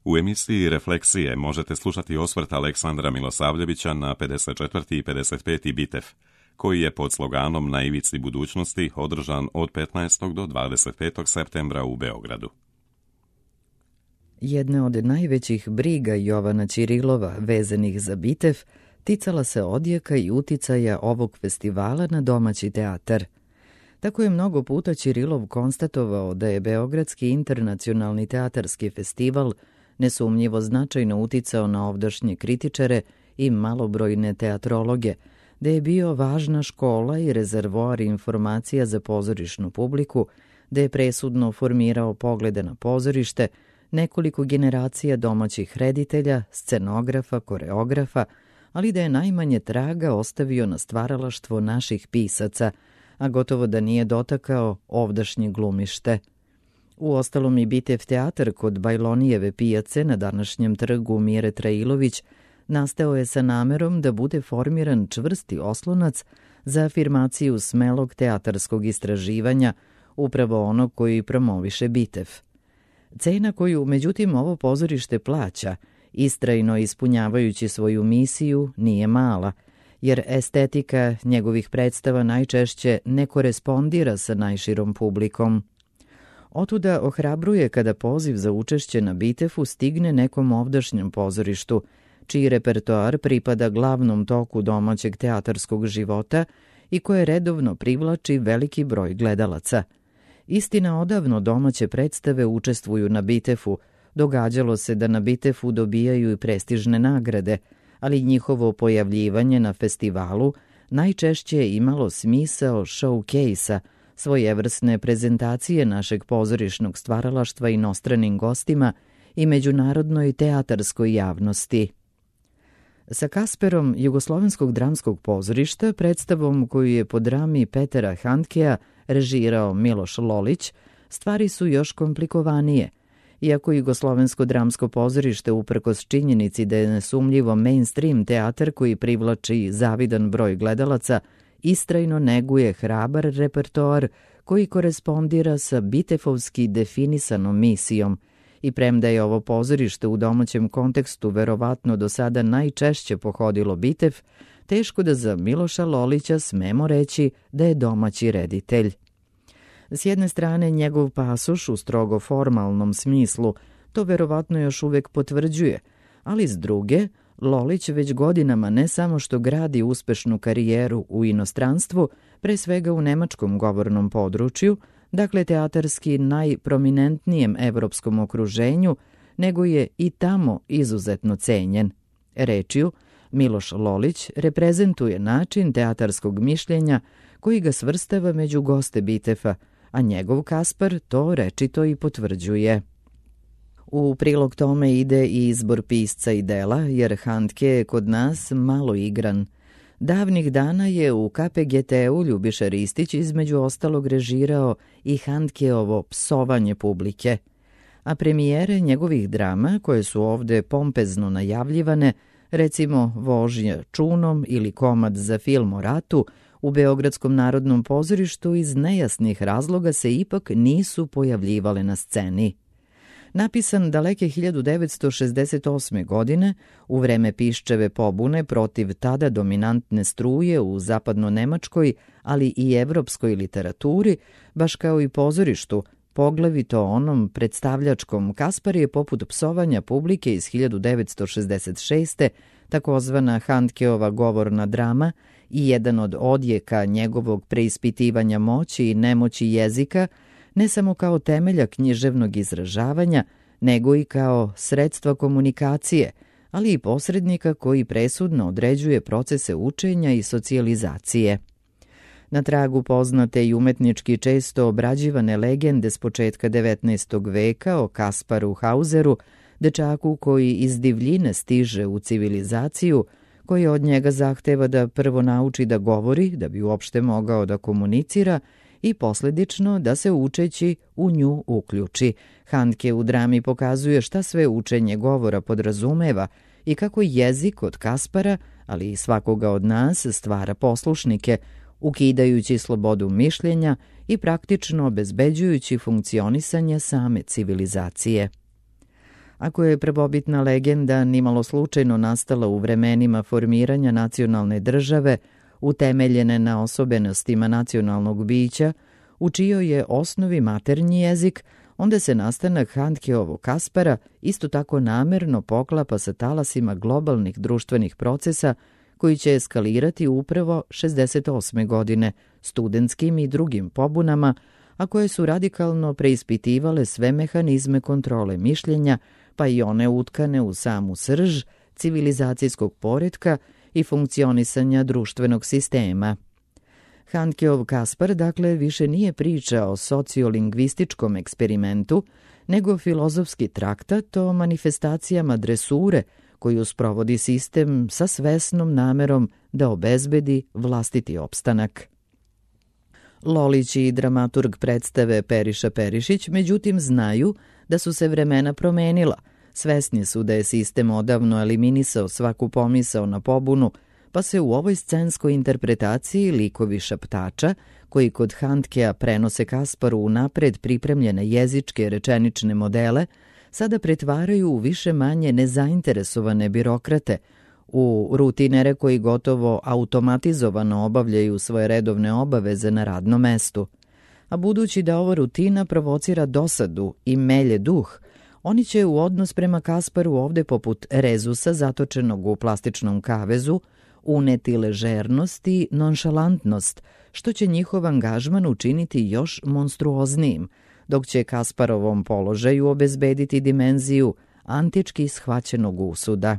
U emisiji Refleksije možete slušati osvrt Aleksandra Milosavljevića na 54. i 55. Bitev, koji je pod sloganom Na ivici budućnosti održan od 15. do 25. septembra u Beogradu. Jedna od najvećih briga Jovana Ćirilova vezanih za Bitev ticala se odjeka i uticaja ovog festivala na domaći teatar. Tako je mnogo puta Ćirilov konstatovao da je Beogradski internacionalni teatarski festival nesumnjivo značajno uticao na ovdašnje kritičare i malobrojne teatrologe, da je bio važna škola i rezervoar informacija za pozorišnu publiku, da je presudno formirao poglede na pozorište, nekoliko generacija domaćih reditelja, scenografa, koreografa, ali da je najmanje traga ostavio na stvaralaštvo naših pisaca, a gotovo da nije dotakao ovdašnje glumište. Uostalom i Bitev teatar kod Bajlonijeve pijace na današnjem trgu Mire Trailović nastao je sa namerom da bude formiran čvrsti oslonac za afirmaciju smelog teatarskog istraživanja, upravo onog koji promoviše Bitev. Cena koju, međutim, ovo pozorište plaća, istrajno ispunjavajući svoju misiju, nije mala, jer estetika njegovih predstava najčešće ne korespondira sa najširom publikom. Otuda ohrabruje kada poziv za učešće na Bitefu stigne nekom ovdašnjem pozorištu, čiji repertoar pripada glavnom toku domaćeg teatarskog života i koje redovno privlači veliki broj gledalaca. Istina, odavno domaće predstave učestvuju na Bitefu, događalo se da na Bitefu dobijaju i prestižne nagrade, ali njihovo pojavljivanje na festivalu najčešće je imalo smisao showcase-a, svojevrsne prezentacije našeg pozorišnog stvaralaštva inostranim gostima i međunarodnoj teatarskoj javnosti. Sa Kasperom Jugoslovenskog dramskog pozorišta, predstavom koju je po drami Petera Handkea režirao Miloš Lolić, stvari su još komplikovanije. Iako Jugoslovensko dramsko pozorište, uprkos činjenici da je nesumljivo mainstream teatar koji privlači zavidan broj gledalaca, istrajno neguje hrabar repertoar koji korespondira sa bitefovski definisanom misijom, i premda je ovo pozorište u domaćem kontekstu verovatno do sada najčešće pohodilo Bitev, teško da za Miloša Lolića smemo reći da je domaći reditelj. S jedne strane, njegov pasoš u strogo formalnom smislu to verovatno još uvek potvrđuje, ali s druge, Lolić već godinama ne samo što gradi uspešnu karijeru u inostranstvu, pre svega u nemačkom govornom području, dakle teatarski najprominentnijem evropskom okruženju, nego je i tamo izuzetno cenjen. Rečju, Miloš Lolić reprezentuje način teatarskog mišljenja koji ga svrstava među goste Bitefa, a njegov Kaspar to rečito i potvrđuje. U prilog tome ide i izbor pisca i dela, jer Handke je kod nas malo igran. Davnih dana je u KPGT-u Ljubiša Ristić između ostalog režirao i Handkeovo psovanje publike, a premijere njegovih drama, koje su ovde pompezno najavljivane, recimo Vožnja čunom ili komad za film o ratu, u Beogradskom narodnom pozorištu iz nejasnih razloga se ipak nisu pojavljivale na sceni. Napisan daleke 1968. godine, u vreme Piščeve pobune protiv tada dominantne struje u zapadno-nemačkoj, ali i evropskoj literaturi, baš kao i pozorištu, poglavito onom predstavljačkom, Kaspar je poput psovanja publike iz 1966. takozvana Handkeova govorna drama i jedan od odjeka njegovog preispitivanja moći i nemoći jezika, ne samo kao temelja književnog izražavanja, nego i kao sredstva komunikacije, ali i posrednika koji presudno određuje procese učenja i socijalizacije. Na tragu poznate i umetnički često obrađivane legende s početka 19. veka o Kasparu Hauseru, dečaku koji iz divljine stiže u civilizaciju, koji od njega zahteva da prvo nauči da govori, da bi uopšte mogao da komunicira, i posledično da se učeći u nju uključi. Handke u drami pokazuje šta sve učenje govora podrazumeva i kako jezik od Kaspara, ali i svakoga od nas, stvara poslušnike, ukidajući slobodu mišljenja i praktično obezbeđujući funkcionisanje same civilizacije. Ako je prvobitna legenda nimalo slučajno nastala u vremenima formiranja nacionalne države, utemeljene na osobenostima nacionalnog bića, u čijoj je osnovi maternji jezik, onda se nastanak Handkeovog Kaspara isto tako namerno poklapa sa talasima globalnih društvenih procesa koji će eskalirati upravo 68. godine studentskim i drugim pobunama, a koje su radikalno preispitivale sve mehanizme kontrole mišljenja, pa i one utkane u samu srž civilizacijskog poretka i funkcionisanja društvenog sistema. Handkeov Kaspar, dakle, više nije priča o sociolingvističkom eksperimentu, nego filozofski traktat o manifestacijama dresure koju sprovodi sistem sa svesnom namerom da obezbedi vlastiti opstanak. Lolić i dramaturg predstave Periša Perišić, međutim, znaju da su se vremena promenila. Svesni su da je sistem odavno eliminisao svaku pomisao na pobunu, pa se u ovoj scenskoj interpretaciji likovi šaptača, koji kod Handkea prenose Kasparu unapred pripremljene jezičke rečenične modele, sada pretvaraju u više manje nezainteresovane birokrate, u rutinere koji gotovo automatizovano obavljaju svoje redovne obaveze na radnom mestu. A budući da ova rutina provocira dosadu i melje duh, oni će u odnos prema Kasparu ovde poput rezusa zatočenog u plastičnom kavezu uneti ležernost i nonšalantnost, što će njihov angažman učiniti još monstruoznijim, dok će Kasparovom položaju obezbediti dimenziju antički shvaćenog usuda.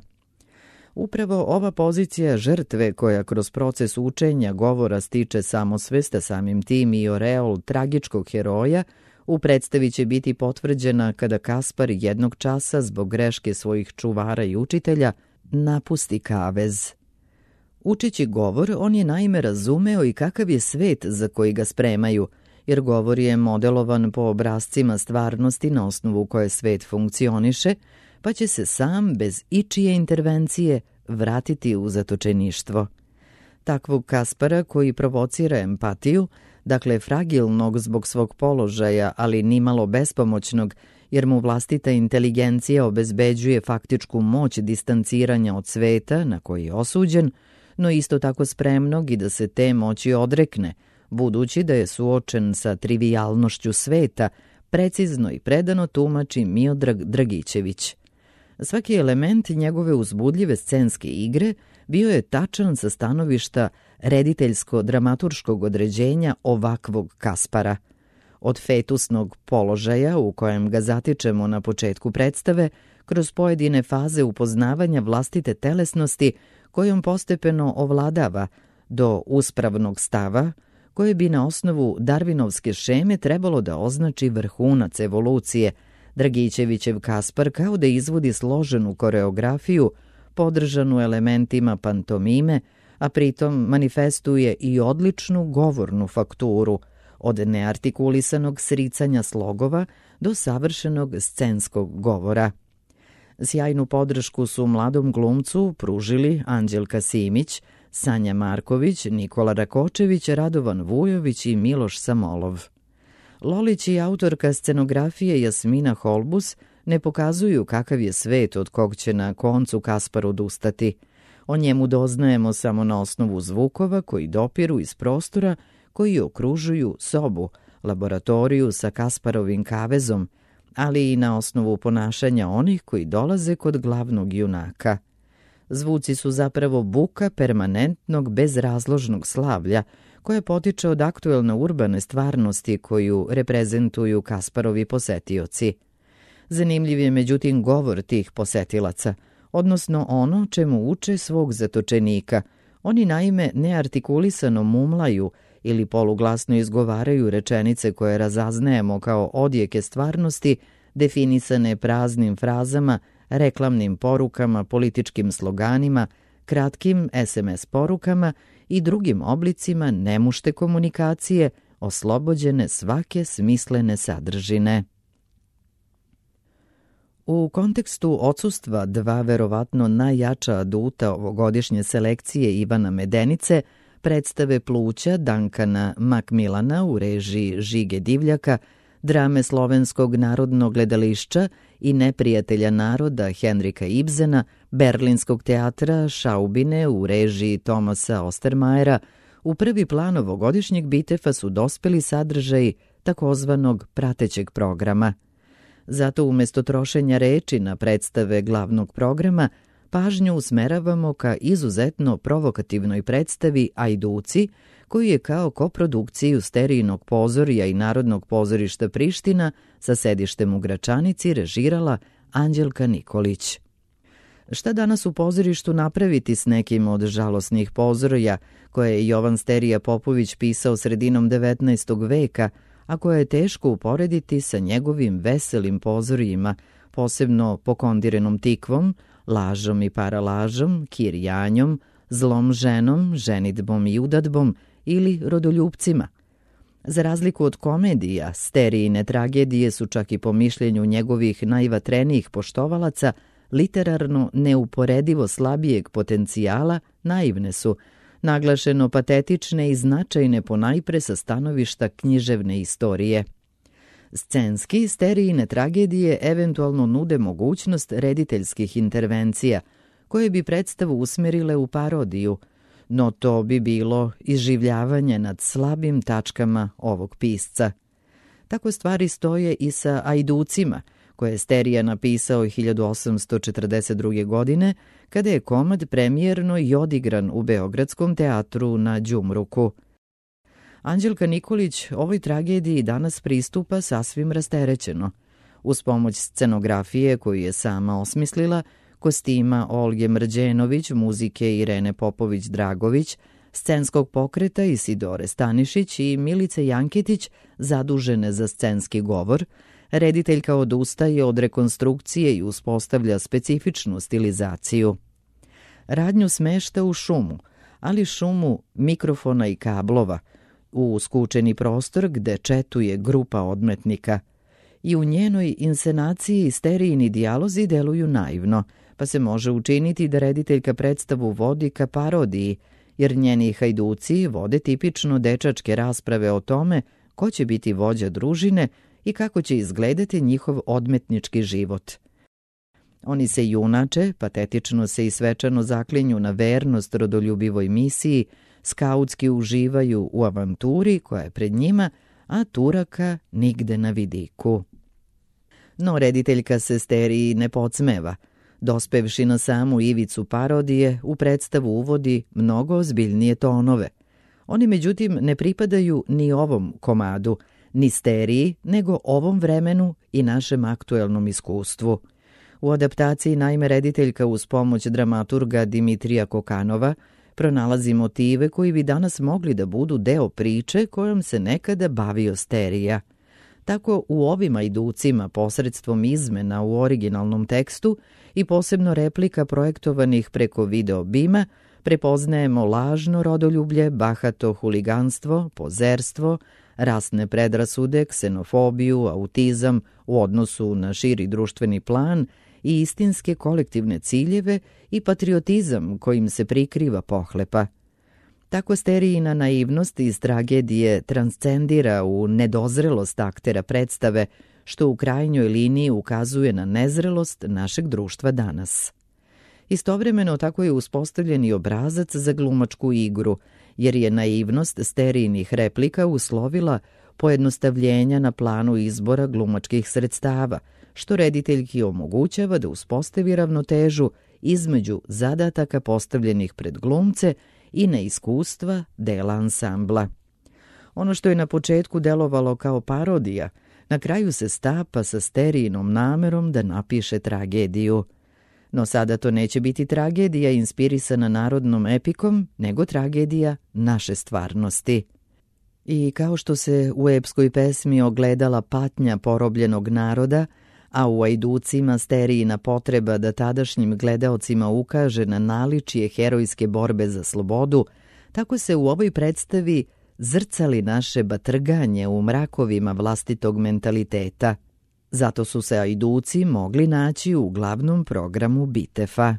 Upravo ova pozicija žrtve koja kroz proces učenja govora stiče samosvest, a samim tim i oreol tragičkog heroja, u predstavi će biti potvrđena kada Kaspar jednog časa zbog greške svojih čuvara i učitelja napusti kavez. Učeći govor, on je naime razumeo i kakav je svet za koji ga spremaju, jer govor je modelovan po obrascima stvarnosti na osnovu koje svet funkcioniše, pa će se sam, bez ičije intervencije, vratiti u zatočeništvo. Takvog Kaspara koji provocira empatiju, dakle fragilnog zbog svog položaja, ali nimalo bespomoćnog, jer mu vlastita inteligencija obezbeđuje faktičku moć distanciranja od sveta na koji je osuđen, no isto tako spremnog i da se te moći odrekne, budući da je suočen sa trivijalnošću sveta, precizno i predano tumači Miodrag Dragićević. Svaki element njegove uzbudljive scenske igre bio je tačan sa stanovišta rediteljsko-dramaturškog određenja ovakvog Kaspara. Od fetusnog položaja u kojem ga zatičemo na početku predstave, kroz pojedine faze upoznavanja vlastite telesnosti kojom postepeno ovladava, do uspravnog stava, koje bi na osnovu Darwinovske šeme trebalo da označi vrhunac evolucije, Dragićevićev Kaspar kao da izvodi složenu koreografiju, podržanu elementima pantomime, a pritom manifestuje i odličnu govornu fakturu, od neartikulisanog sricanja slogova do savršenog scenskog govora. Sjajnu podršku su mladom glumcu pružili Anđelka Simić, Sanja Marković, Nikola Rakočević, Radovan Vujović i Miloš Samolov. Lolić i autorka scenografije Jasmina Holbus ne pokazuju kakav je svet od kog će na koncu Kaspar odustati. O njemu doznajemo samo na osnovu zvukova koji dopiru iz prostora koji okružuju sobu, laboratoriju sa Kasparovim kavezom, ali i na osnovu ponašanja onih koji dolaze kod glavnog junaka. Zvuci su zapravo buka permanentnog bezrazložnog slavlja koja potiče od aktuelne urbane stvarnosti koju reprezentuju Kasparovi posetioci. Zanimljiv je međutim govor tih posetilaca, odnosno ono čemu uče svog zatočenika. Oni naime neartikulisano mumlaju ili poluglasno izgovaraju rečenice koje razaznajemo kao odjeke stvarnosti, definisane praznim frazama, reklamnim porukama, političkim sloganima, kratkim SMS porukama i drugim oblicima nemušte komunikacije, oslobođene svake smislene sadržine. U kontekstu odsustva dva verovatno najjača aduta ovogodišnje selekcije Ivana Medenice, predstave Pluća Dankana Makmilana u režiji Žige Divljaka, drame Slovenskog narodnog gledališća i Neprijatelja naroda Henrika Ibsena, Berlinskog teatra Šaubine u režiji Tomasa Ostermajera, u prvi plan ovogodišnjeg Bitefa su dospeli sadržaji takozvanog pratećeg programa. Zato umjesto trošenja reči na predstave glavnog programa, pažnju usmeravamo ka izuzetno provokativnoj predstavi Ajduci, koju je kao koprodukciju Sterijinog pozorija i Narodnog pozorišta Priština sa sedištem u Gračanici režirala Anđelka Nikolić. Šta danas u pozorištu napraviti s nekim od žalosnih pozorija koje je Jovan Sterija Popović pisao sredinom 19. veka, a koje je teško uporediti sa njegovim veselim pozorijima, posebno Pokondirenom tikvom, Lažom i paralažom, Kirjanjom, Zlom ženom, Ženidbom i udadbom ili Rodoljupcima. Za razliku od komedija, Sterijine tragedije su čak i po mišljenju njegovih najvatrenijih poštovalaca literarno neuporedivo slabijeg potencijala, naivne su, naglašeno patetične i značajne ponajpre sa stanovišta književne istorije. Scenski Sterijine tragedije eventualno nude mogućnost rediteljskih intervencija, koje bi predstavu usmerile u parodiju, no to bi bilo iživljavanje nad slabim tačkama ovog pisca. Tako stvari stoje i sa Ajducima, koje je Sterija napisao 1842. godine, kada je komad premijerno i odigran u Beogradskom teatru na Đumruku. Anđelka Nikolić ovoj tragediji danas pristupa sasvim rasterećeno. Uz pomoć scenografije koju je sama osmislila, kostima Olge Mrđenović, muzike Irene Popović-Dragović, scenskog pokreta Isidore Stanišić i Milice Janketić, zadužene za scenski govor, rediteljka odustaje od rekonstrukcije i uspostavlja specifičnu stilizaciju. Radnju smešta u šumu, ali šumu mikrofona i kablova, u skučeni prostor gde četuje grupa odmetnika. I u njenoj inscenaciji Sterijini dijalozi deluju naivno, pa se može učiniti da rediteljka predstavu vodi ka parodiji, jer njeni hajduci vode tipično dečačke rasprave o tome ko će biti vođa družine i kako će izgledati njihov odmetnički život. Oni se junače, patetično se i svečano zaklinju na vernost rodoljubivoj misiji, skautski uživaju u avanturi koja je pred njima, a Turaka nigde na vidiku. No rediteljka se Steriji ne podsmeva. Dospevši na samu ivicu parodije, u predstavu uvodi mnogo ozbiljnije tonove. Oni međutim ne pripadaju ni ovom komadu, ni Steriji, nego ovom vremenu i našem aktuelnom iskustvu. U adaptaciji naime rediteljka uz pomoć dramaturga Dimitrija Kokanova pronalazi motive koji bi danas mogli da budu deo priče kojom se nekada bavio Sterija. Tako u ovim Ajducima posredstvom izmena u originalnom tekstu i posebno replika projektovanih preko video bima prepoznajemo lažno rodoljublje, bahato huliganstvo, pozerstvo, rasne predrasude, ksenofobiju, autizam u odnosu na širi društveni plan i istinske kolektivne ciljeve i patriotizam kojim se prikriva pohlepa. Tako Sterijina naivnost iz tragedije transcendira u nedozrelost aktera predstave, što u krajnjoj liniji ukazuje na nezrelost našeg društva danas. Istovremeno tako je uspostavljen i obrazac za glumačku igru, jer je naivnost Sterijinih replika uslovila pojednostavljenja na planu izbora glumačkih sredstava, što rediteljki omogućava da uspostavi ravnotežu između zadataka postavljenih pred glumce i neiskustva dela ansambla. Ono što je na početku delovalo kao parodija, na kraju se stapa sa Sterijinom namerom da napiše tragediju. No sada to neće biti tragedija inspirisana narodnom epikom, nego tragedija naše stvarnosti. I kao što se u epskoj pesmi ogledala patnja porobljenog naroda, a u Ajducima Sterijina potreba da tadašnjim gledaocima ukaže na naličje herojske borbe za slobodu, tako se u ovoj predstavi zrcali naše batrganje u mrakovima vlastitog mentaliteta. Zato su se Ajduci mogli naći u glavnom programu Bitefa.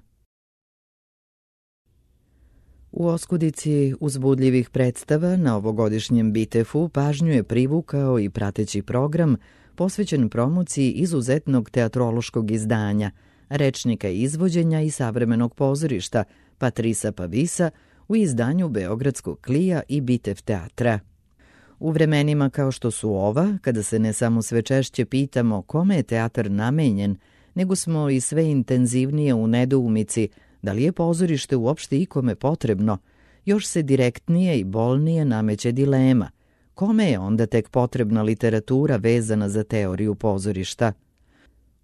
U oskudici uzbudljivih predstava na ovogodišnjem BITEF-u pažnju je privukao i prateći program posvećen promociji izuzetnog teatrološkog izdanja, rečnika izvođenja i savremenog pozorišta Patrisa Pavisa u izdanju Beogradskog Klija i BITEF teatra. U vremenima kao što su ova, kada se ne samo sve češće pitamo kome je teatar namenjen, nego smo i sve intenzivnije u nedoumici da li je pozorište uopšte ikome potrebno, još se direktnije i bolnije nameće dilema. Kome je onda tek potrebna literatura vezana za teoriju pozorišta?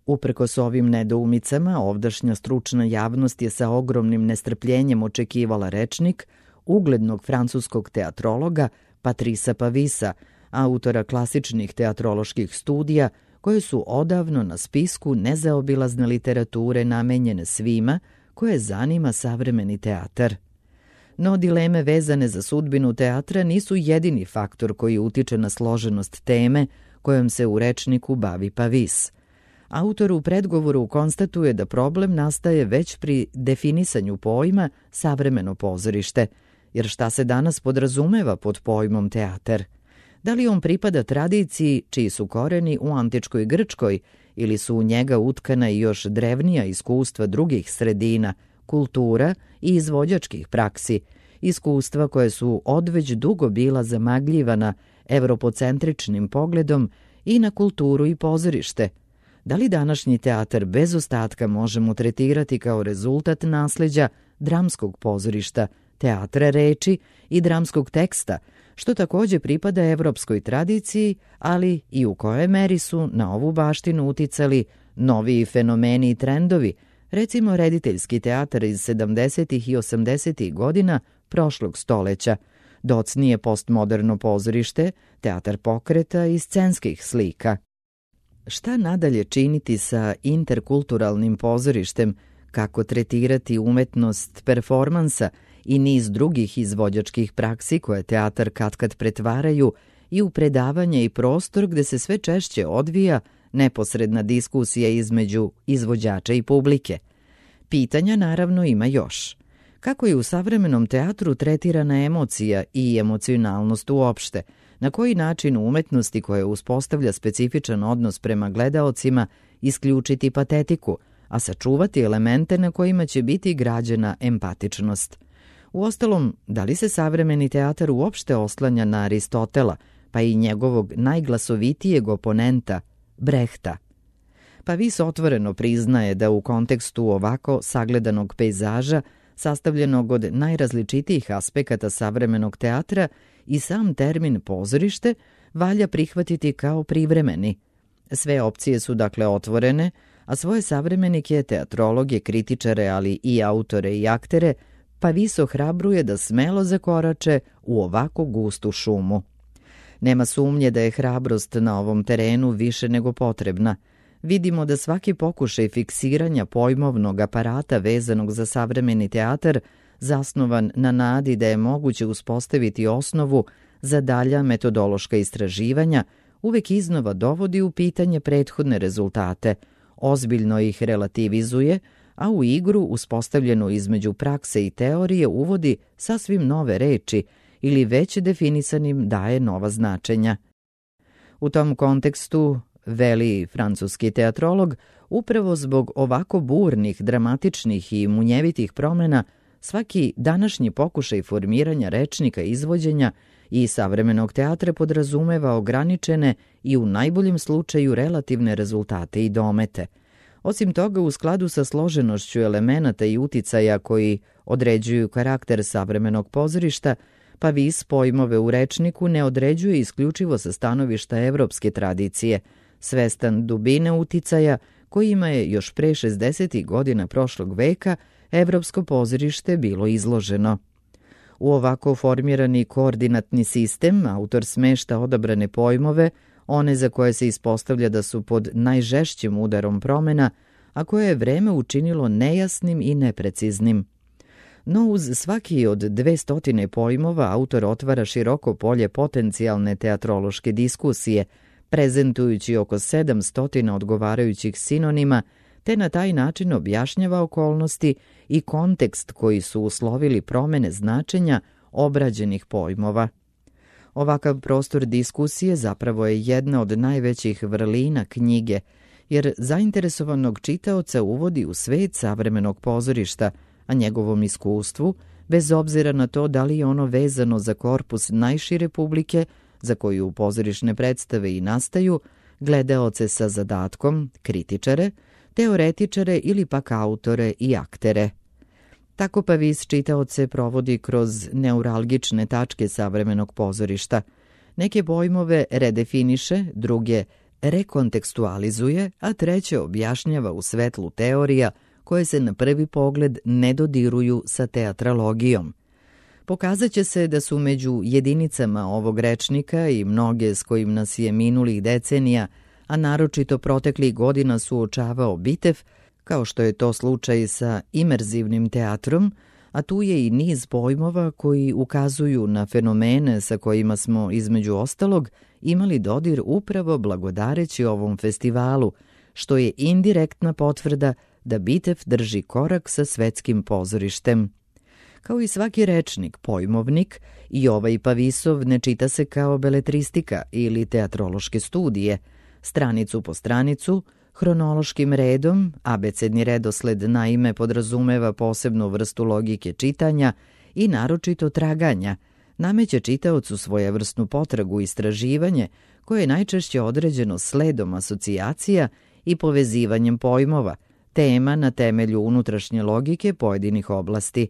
Uprkos ovim nedoumicama, ovdašnja stručna javnost je sa ogromnim nestrpljenjem očekivala rečnik uglednog francuskog teatrologa Patrisa Pavisa, autora klasičnih teatroloških studija, koje su odavno na spisku nezaobilazne literature namenjene svima koje zanima savremeni teatar. No dileme vezane za sudbinu teatra nisu jedini faktor koji utiče na složenost teme kojom se u rečniku bavi Pavis. Autor u predgovoru konstatuje da problem nastaje već pri definisanju pojma savremeno pozorište, jer šta se danas podrazumeva pod pojmom teatar? Da li on pripada tradiciji čiji su koreni u antičkoj Grčkoj ili su u njega utkana i još drevnija iskustva drugih sredina, kultura i izvođačkih praksi, iskustva koje su odveć dugo bila zamagljivana evropocentričnim pogledom i na kulturu i pozorište? Da li današnji teatar bez ostatka možemo tretirati kao rezultat nasleđa dramskog pozorišta, teatra reči i dramskog teksta, što također pripada evropskoj tradiciji, ali i u kojoj meri su na ovu baštinu uticali noviji fenomeni i trendovi, recimo rediteljski teatar iz 70. i 80. godina prošlog stoleća, docnije postmoderno pozorište, teatar pokreta i scenskih slika. Šta nadalje činiti sa interkulturalnim pozorištem, kako tretirati umetnost performansa i niz drugih izvođačkih praksi koje teatar katkad pretvaraju i u predavanje i prostor gde se sve češće odvija neposredna diskusija između izvođača i publike. Pitanja naravno ima još. Kako je u savremenom teatru tretirana emocija i emocionalnost uopšte? Na koji način u umetnosti koja uspostavlja specifičan odnos prema gledaocima isključiti patetiku, a sačuvati elemente na kojima će biti građena empatičnost? Uostalom, da li se savremeni teatar uopšte oslanja na Aristotela, pa i njegovog najglasovitijeg oponenta, Brehta? Pavis otvoreno priznaje da u kontekstu ovako sagledanog pejzaža, sastavljenog od najrazličitijih aspekata savremenog teatra, i sam termin pozorište valja prihvatiti kao privremeni. Sve opcije su dakle otvorene, a svoje savremenike, teatrologe, kritičare, ali i autore i aktere, Pavis ohrabruje da smelo zakorače u ovako gustu šumu. Nema sumnje da je hrabrost na ovom terenu više nego potrebna. Vidimo da svaki pokušaj fiksiranja pojmovnog aparata vezanog za savremeni teatar, zasnovan na nadi da je moguće uspostaviti osnovu za dalja metodološka istraživanja, uvek iznova dovodi u pitanje prethodne rezultate, ozbiljno ih relativizuje, a u igru uspostavljenu između prakse i teorije uvodi sasvim nove reči ili već definisanim daje nova značenja. U tom kontekstu, veli francuski teatrolog, upravo zbog ovako burnih, dramatičnih i munjevitih promena, svaki današnji pokušaj formiranja rečnika izvođenja i savremenog teatra podrazumeva ograničene i u najboljem slučaju relativne rezultate i domete. Osim toga, u skladu sa složenošću elemenata i uticaja koji određuju karakter savremenog pozorišta, Pavis pojmove u rečniku ne određuje isključivo sa stanovišta evropske tradicije, svestan dubine uticaja kojima je još pre 60. godina prošlog veka evropsko pozorište bilo izloženo. U ovako formirani koordinatni sistem autor smešta odabrane pojmove, one za koje se ispostavlja da su pod najžešćim udarom promena, a koje je vreme učinilo nejasnim i nepreciznim. No uz svaki od 200 pojmova autor otvara široko polje potencijalne teatrološke diskusije, prezentujući oko 700 odgovarajućih sinonima, te na taj način objašnjava okolnosti i kontekst koji su uslovili promene značenja obrađenih pojmova. Ovakav prostor diskusije zapravo je jedna od najvećih vrlina knjige, jer zainteresovanog čitaoca uvodi u svet savremenog pozorišta, a njegovom iskustvu, bez obzira na to da li je ono vezano za korpus najšire publike, za koju pozorišne predstave i nastaju, gledaoce sa zadatkom, kritičare, teoretičare ili pak autore i aktere. Tako Pavis čitaoce provodi kroz neuralgične tačke savremenog pozorišta. Neke pojmove redefiniše, druge rekontekstualizuje, a treće objašnjava u svetlu teorija koje se na prvi pogled ne dodiruju sa teatrologijom. Pokazat će se da su među jedinicama ovog rečnika i mnoge s kojim nas je minulih decenija, a naročito proteklih godina suočavao Bitev, kao što je to slučaj sa imerzivnim teatrom, a tu je i niz pojmova koji ukazuju na fenomene sa kojima smo, između ostalog, imali dodir upravo blagodareći ovom festivalu, što je indirektna potvrda da Bitev drži korak sa svetskim pozorištem. Kao i svaki rečnik, pojmovnik, i ovaj Pavisov ne čita se kao beletristika ili teatrološke studije. Stranicu po stranicu, hronološkim redom, abecedni redosled naime podrazumeva posebnu vrstu logike čitanja i naročito traganja, nameće čitaocu svojevrsnu potragu i istraživanje koje je najčešće određeno sledom asocijacija i povezivanjem pojmova, tema na temelju unutrašnje logike pojedinih oblasti.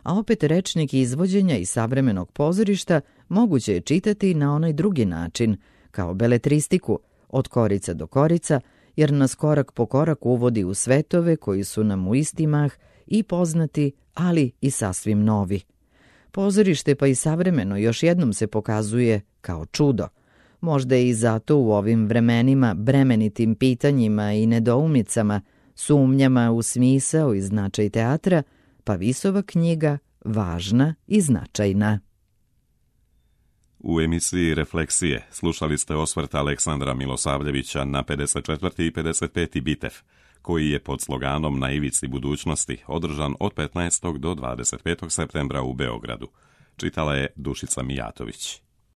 A opet rečnik izvođenja i savremenog pozorišta moguće je čitati na onaj drugi način, kao beletristiku, od korica do korica, jer nas korak po korak uvodi u svetove koji su nam u isti mah i poznati, ali i sasvim novi. Pozorište pa i savremeno još jednom se pokazuje kao čudo. Možda je i zato u ovim vremenima bremenitim pitanjima i nedoumicama, sumnjama u smisao i značaj teatra, Pavisova knjiga važna i značajna. U emisiji Refleksije slušali ste osvrt Aleksandra Milosavljevića na 54. i 55. Bitev, koji je pod sloganom Na ivici budućnosti održan od 15. do 25. septembra u Beogradu. Čitala je Dušica Mijatović.